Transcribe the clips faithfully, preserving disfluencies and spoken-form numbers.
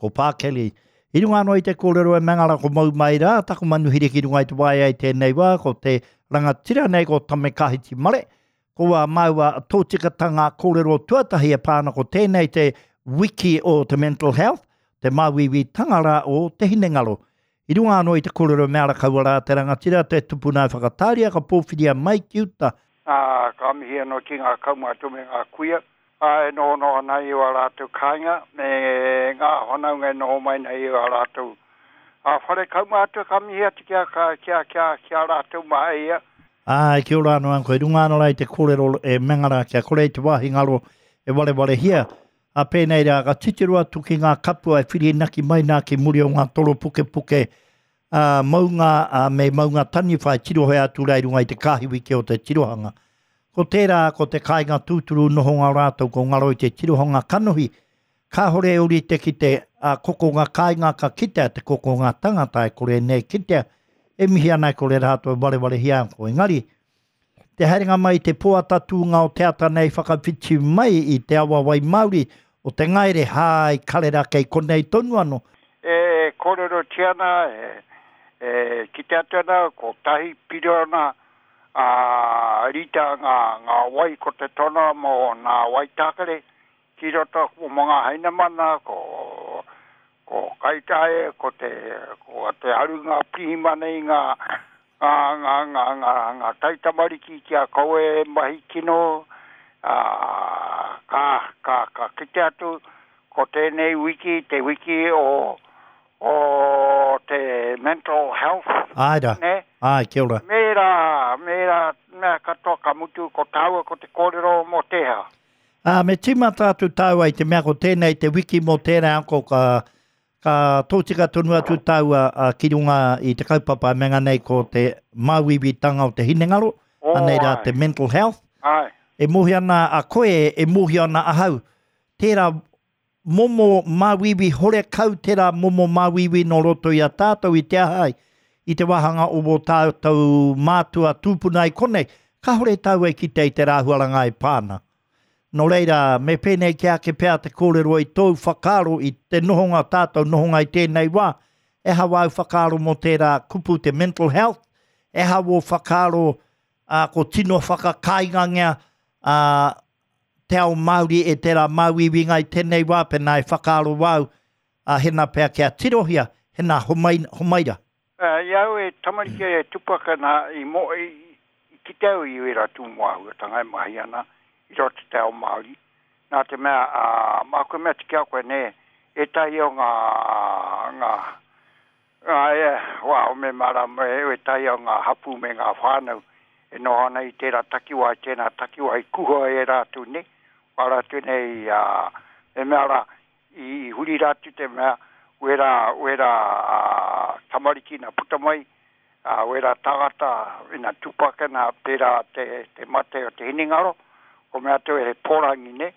Ko Pā Kelly. I runga anō i te kōrero e mengara ko mau mai rā, taku manuhiri ki runga i te waea i tēnei wā, ko te rangatira nei ko Tame Kahiti Mare, ko ā māua tōtikatanga kōrero tuatahi e pā ana ko tēnei te wiki o te mental health, te māuiuitanga rā o te hinengaro. I runga anō i te kōrero me ara kaua rā te rangatira, te tupuna e whakatāria ka pōwhiria mai ki uta. Ā, ka mihi anō ki ngā kaumātua me ngā kuia, ā, e nohonoho ana i ō rātou kāinga, me ngā whanaunga e noho mai nei i ō rātou ā, whare kaumātua, ka mihi atu ki a, ki a, ki a, ki a rātou mā ia. Āe, kia ora anō Uncle, i runga anō rā i te kōrero e mengara kia kore i te wāhi ngaro e warewarehia, ā pēnei rā ka titiro atu ki ngā kapua e whirinaki mai nā ki muri o ngā toro pukepuke ā, maunga ā, me maunga taniwha e tirohea atu rā i runga i te kāhiwi ki o te tirohanga. Ko tērā ko te kāinga tūturu nohonga o rātou ko ngaro i te tirohanga kanohi, kāhore e ūrite ki te ā, kokonga kāinga ka kitea te kokonga tangata e kore nei kitea, e mihi ana e kore rātou e warewarehia ana ko. Engari, te haerenga mai i te pō ata tūnga o te ata nei whakawhiti mai i te awa wai Māori o te ngaere, hai karera kei konei tonu anō. E kōrerotia ana, e, e kite atu ana, kotahi piriona a rita ngā, ngā wai ko te tono mō nā wai tākare ki roto mō ngā hainamana, ko, ko Kaitaia, ko te, ko te arunga pirihimana i ngā, ngā, ngā, ngā, ngā, ngā taitamariki kia kaua e mahi kino, ā, ka, ka, ka kite atu ko tēnei wiki, te wiki o, o te mental health. Āe rā. Nē? Āe, kia ora. Me rā, me rā mea katoa ka mutu ko tāua ko te kōrero mō tēhea. Ā, me tīmata atu tāua i te mea ko tēnei te wiki mō tērā ako ka, ka tōtika tonu atu tāua ā, ki runga i te kaupapa e menga nei ko te māuiuitanga o te hinengaro, Oh, anei rā āe. te mental health. Āe. E mōhio ana a koe, e mōhio ana ahau, tērā momo māuiui horekau, tērā momo māuiui nō roto i a tātou i te aha ai, i te wāhanga o wō tātou mātua tūpuna i konei, kāore tāua e kite i te rāhuaranga e pā ana. Nō reira, me pēnei ki ake pea te kōrero i tōu whakaaro i te nohonga tātou nohonga i tēnei wā, e aha wāu whakaaro mō tērā kupu te mental health, e aha wō whakaaro ā, ko tino whakakāingangia ā, te ao Māori e tērā māuiuinga i tēnei wā, pēnā e whakaaro wāu, ā, hena pea kia tirohia, hena homai, homaira. Uh, I au e tamariki e tupaka nā i, mo, i, i kite au i wera tū āhuatanga e mahi ana i roto te ao Māori. Nā te mea, ā, māku e mea atu ki a koe, nē, ētahi o ngā, ngā, ngā, e, wā, me mārama e ētahi o ngā hapū me ngā whānau e noho ana i tērā takiwā, i tēnā takiwā, i kuhua e rātou nei, wā rātou nei, ā, me mea rā, i, i huri rātou te mea, wera, wera ā, tamariki na puta mai, ā, wera tāngata ina tupaka nā pērā te, te mate o te hinengaro, ko mea atu e pōrangi nei,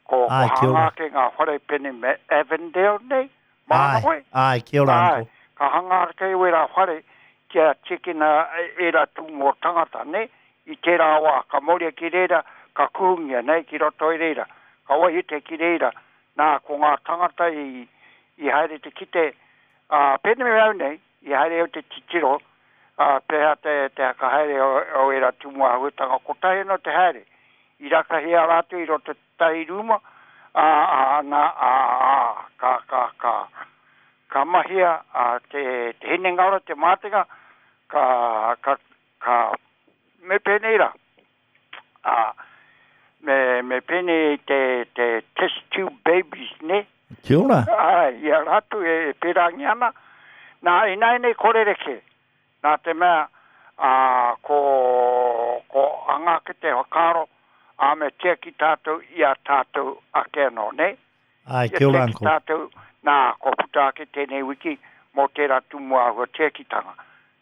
ko, ko Āe, kia ora. hanga ake ngā whare pene me Avondale nei, māna Āe, koe? āe, kia ora, Āe, uncle. ka hanga ake wera whare kia tiekina e era tūmō tangata, nei, i tērā wā, ka mauria ki reira, ka kuhungia nei ki roto i reira, ka wahite ki reira, nā ko ngā tangata i, i haere te kite, ā, pēnei me au nei, i haere au te titiro, ā, pēhea te, te hakahaere o, o era tūmō āhuatanga, kotahi anō te haere, i rakahia rātou i roto tahi rūma, ā, ā, nā, ā, ā, ka, ka, ka, ka mahia ā, te, te hinengaro, te mātenga, ka, ka, ka, me pēnei rā, ā, me, me pēnei te, te test tube babies, ne? Kia ora. Āe, i a rātou e, e pērangi ana. Nā, ināianei kore reke. Nā te mea, ā, ko, ko anga ake te whakaaro, ā, me tiaki tātou i a tātou ake anō, ne? Āe, Ia kia ora, tiaki uncle. tātou, nā, ko puta ake tēnei wiki mō tērā tūmō āhua tiakitanga.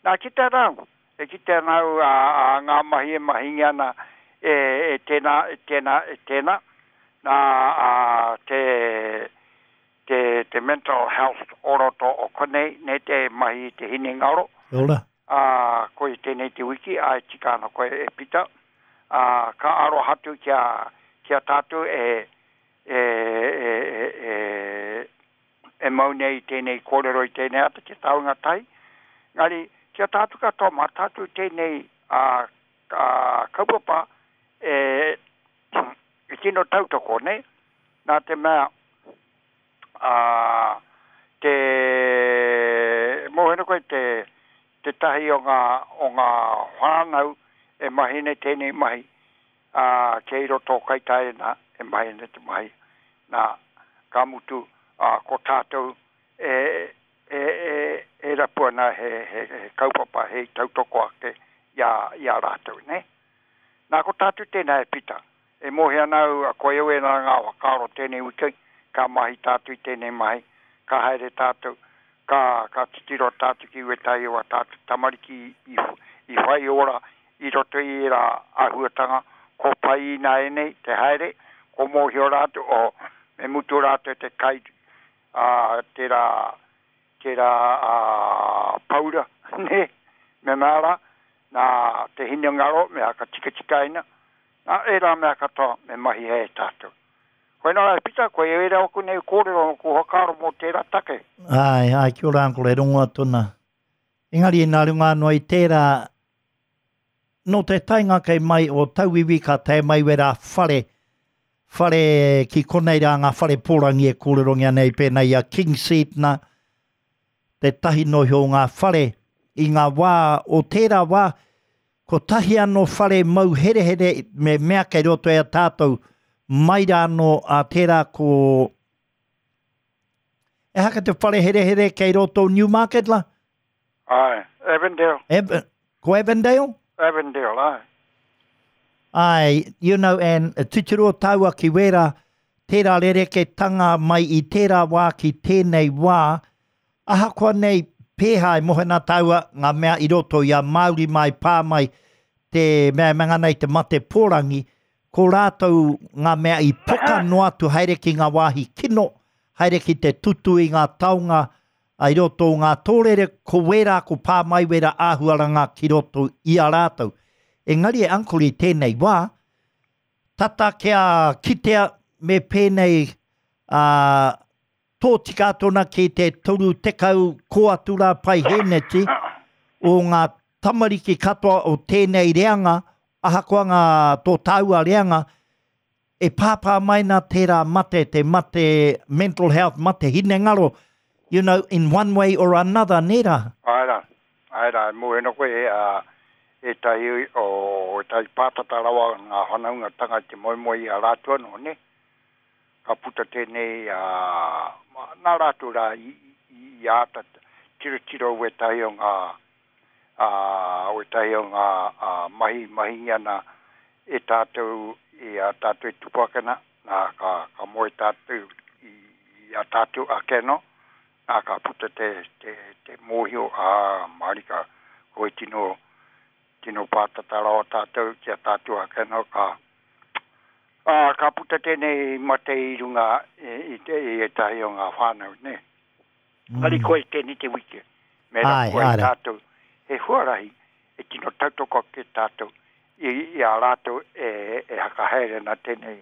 Nā, ki te rau, e ki te rau ā, ā, ngā mahi e mahingi ana e, e tēnā, e tēnā, e tēnā. Nā, ā, te, te, te mental health o roto o konei, nei te mahi i te hinengaro. Kia ora. Ā, koe tēnei te wiki, ā, e tika ana koe e Pita. Ā, ka aroha atu kia, kia tātou e, e, e, e, e, e mau nei tēnei kōrero i tēnei ata ki taunga tai. Ngari, kia tātou katoa, mā tātou tēnei a, a kaupapa e, e tino tautoko, ne? Nā te mea a, te mōhena koe te, te tahi o ngā, o ngā whānau e mahi nei tēnei mahi a, kei roto Kaitaia nā, e mahi nei te mahi. Nā, ka mutu, a, ko tātou e, e, e, e rapua nā he, he, he kaupapa, he tautoko ake i a, i a rātou, ne? Nā, ko tātou tēnā e Pita. E mohi ana au, a koe au e nā ngā whakaaro tēnei wiki, ka mahi tātou i tēnei mahi, ka haere tātou, ka, ka titiro tātou ki wetahi o a tātou tamariki i, i whai ora i roto i era āhuatanga, ko pai i nā enei te haere, ko mōhio rātou, o me mutu rātou te kai, a, tērā, tērā a, paura, ne, me mara, nā te hinengaro, me haka tikatikaina, nā era mea katoa me mahi e tātou. Koe nā e Pita, koe e era oku nei kōrero, ko whakaaro mō tērā take. Ai, ai, kia ora uncle, e rongo atu nā. Engari nā runga anō i tērā, nō te taenga kei mai o tauiwi ka tae mai wera whare, whare ki konei rā ngā whare pōrangi e kōrerongia nei pēnei i a King Seat nā, te tahi nohi o ngā whare i ngā wā o tērā wā, ko tahi anō whare mau herehere me mea kei roto e a tātou, mai rā anō a tērā ko... E haka te whare herehere kei roto Newmarket la? Ai, Avondale. Ev ko Avondale? Avondale, ai. Ai, you know, and titiro taua ki wera, tērā rereketanga mai i tērā wā ki tēnei wā, ahakoa nei pēhā e mohena taua ngā mea i roto i a Māori mai pā mai te mea manga nei te mate pōrangi, ko rātou ngā mea i poka noa atu haere ki ngā wāhi kino, haere ki te tutu i ngā taonga i roto o ngā tōrere, ko wērā ko pā mai wera āhuaranga ki roto i a rātou. Engari e uncle i tēnei wā, tata kia kitea me pēnei uh, tō tika tōna ki te toru tekau ko atu rā pai hēneti o ngā tamariki katoa o tēnei reanga, ahakoa ngā tō tāua reanga, e pāpā mai nā tērā mate, te mate mental health, mate hinengaro, you know, in one way or another, nē rā? Ai rā, ai rā, mō koe e, uh, e tahi o e tahi pātata rawa ngā whanaungatanga te moemoe i a rātou anō, ne? Ka puta tēnei, uh, nā rātou rā i, i, i āta tirotiro wetahi o ngā uh, wetahi o ngā uh, mahi mahi ana e tātou i a tātou e tupu ake nā, nā ka, ka moe tātou i, i a tātou ake no, nā ka puta te, te, te mōhio a marika koe tino tino pātata rawa tātou ki a tātou ake no, ka, a, ka puta tēnei mate i runga i, i, te, i ētahi o ngā whānau, ne? Mm. Ngari koe tēnei te wiki, me rā koe tātou, he huarahi e tino tautoko ke tātou i, i a rātou e, e hakahaere nā tēnei,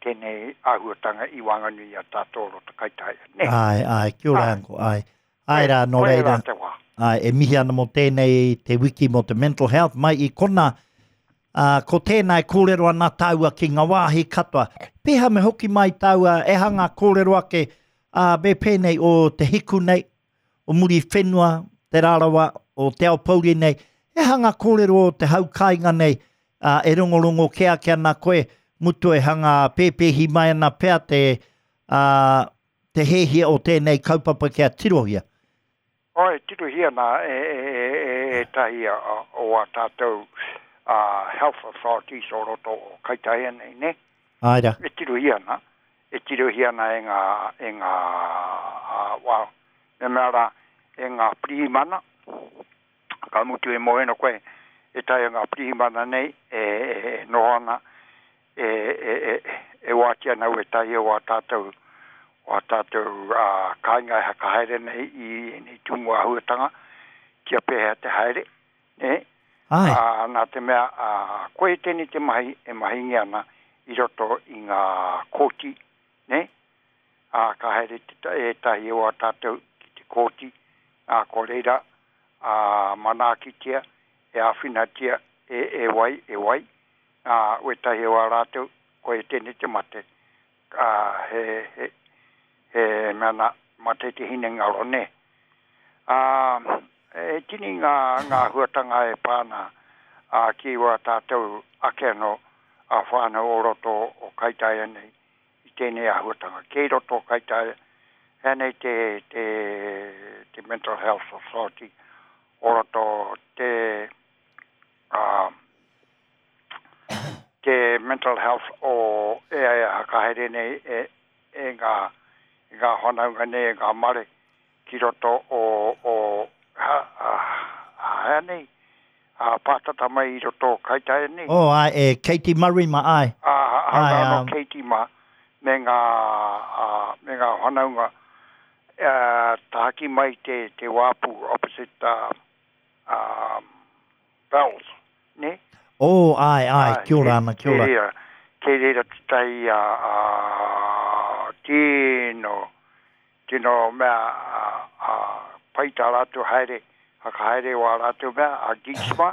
tēnei āhuatanga i wānganui a tātou roto Kaitaia, ne? Ai, ai, kia ora uncle, ai. Ai rā, nō reira. Ai, e mihi ana mō tēnei te wiki mō te mental health mai i kona, uh, ko tēnei kōrero ana tāua ki ngā wāhi katoa. Pēhā me hoki mai tāua, e hanga kōrero ake, uh, me pēnei o te hiku nei, o muri whenua, te rārawa, o te Aopouri nei, e hanga kōrero o te hau kāinga nei, uh, e rongorongo kea kia ana koe, mutu e hanga pēpēhi mai ana pea te, uh, te hehia o tēnei kaupapa kia tirohia. Oi, tirohia nā e, e, e, e tahi o a tātou uh, health authorities o roto o Kaitaia nei, ne? Ai rā. E tirohia nā, e tirohia nā e ngā, e ngā, uh, well, me mea rā, e ngā pirihimana, ka mutu e mohena koe, e tahi ngā pirihimana nei, e, e, e noho ana, e, e, e, e wātia nau e tahi o a tātou, o a tātou uh, kāinga e hakahaere nei i nei tūmu āhuatanga, kia pēhea te haere, ne? Ai. Uh, nā te mea, uh, koe tēnei te mahi e mahingi ana i roto i ngā kōti, ne? Ā, ka haere te ētahi o a tātou ki te kōti, ā, ko reira, ā, manaakitia, e āwhinatia, e, e wai, e wai, ā, wētahi o a rātou, ko e tēnei te mate, ā, he, he, he mea nā, mate te hinengaro, nē. Ā, e tini ngā, ngā huatanga e pāna, ā, ki wā tātou ake anō, a whānau o roto o Kaitaia nei, i tēnei āhuatanga. Kei roto o Kaitaia, hea nei te, te, te Mental Health Authority, o roto te, uh, te mental health o e e hakahere nei e, e ngā, e ngā whanaunga nei, e ngā mare ki roto o, o ha, ha, hea nei, a pātata mai i roto o Kaitaia nei. Oh, ai, e Katie Murray ma, ai. A, a, ai, um... no Katie ma, me ngā, a, me ngā whanaunga, uh, tahaki mai te, te wāpu opposite uh, um, Bells, ne? Oh, ai, ai, ai kia ora ana, kia ora. Kei reira, kei reira te tai a, a, tino, tino mea, a, a, pai tā rātou haere, hakahaere o a rātou mea, a Geeksma,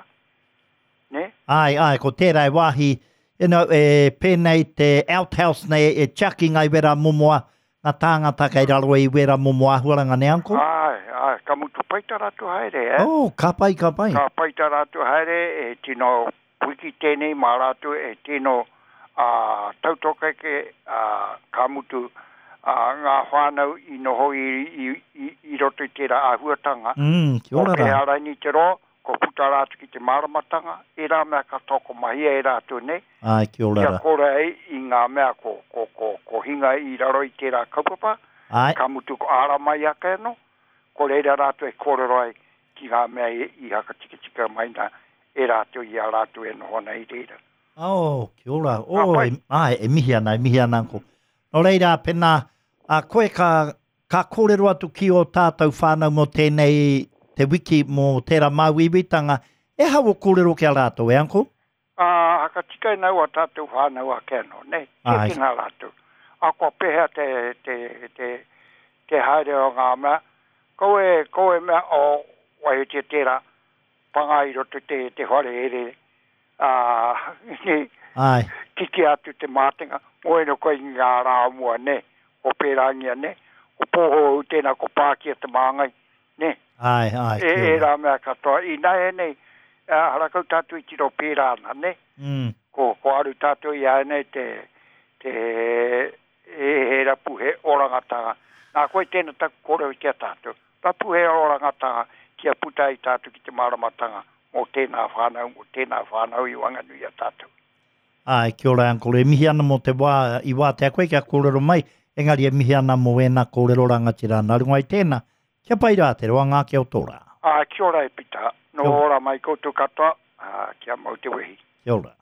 ne? Ai, ai, ko tērā e wāhi, you know, e pēnei te outhouse nei e tiaki ngai wera momoa, ngā tāngata kei raro i wera momo āhuaranga ne, uncle? Ai, ai, ka mutu pai tā rātou haere, eh? Oh, ka pai, ka pai. Ka pai tā rātou haere, e tino wiki tēnei mā rātou, e tino uh, tautokeke, uh, ka mutu uh, ngā whānau i noho i, i, i, i roto i tērā āhuatanga. Mm, kia ora rā. O te araini te roa, ko puta rātou ki te māramatanga, e rā mea katoa ko mahia e rātou nei. Ai, kia ora rā. Kia kore ai i ngā mea ko, ko, ko, ko hinga i raro i tērā kaupapa. Ai. Ka mutu ko āra mai ake anō, ko reira rātou e kōrero ai ki ngā mea i, i hakatikatika mai nā e rātou i a rātou e noho ana i reira. Oh, kia ora. Oh, e, ai, e mihi ana, e mihi ana, uncle. Nō reira, pēnā, a koe ka, ka kōrero atu ki o tātou whānau mō tēnei te wiki mō tērā māuiuitanga, e hau o kōrero ki a rātou, e uncle? Ā, hakatika e nau a tātou whānau ake anō, ne? Tēkina rātou. A kua pehea te, te, te, te haere o ngā mea, ko e, ko e mea o waihotia tērā, panga i roto te, te whare ere, ā, Ai. Kiki atu te mātenga, mo eno koe i ngā rā mua, ne? O pērangia, ne? O pōho au tēnā ko pākia te māngai, ne? Ai, ai, E, e rā mea katoa. I nā e nei, harakau tātou i tiro pērā ana, ne? Mm. Ko, ko aru tātou i ai nei te, te e he rapu he orangatanga. Nā koe tēnā taku kōrero ki a tātou. Rapu he orangatanga kia puta i tātou ki te māramatanga mō tēnā whānau, mō tēnā whānau i wanganui a tātou. Ai, kia ora, uncle. E mihi ana mō te wā i wātea koe kia kōrero mai, engari e mihi ana mō ēnā kōrero rangatira. Nā runga i tēnā, kia pai rā te roa ngā kia o tō rā. Ā, kia ora e Pita. Nō ora mai koutou katoa, ā, kia mau te wehi. Kia ora.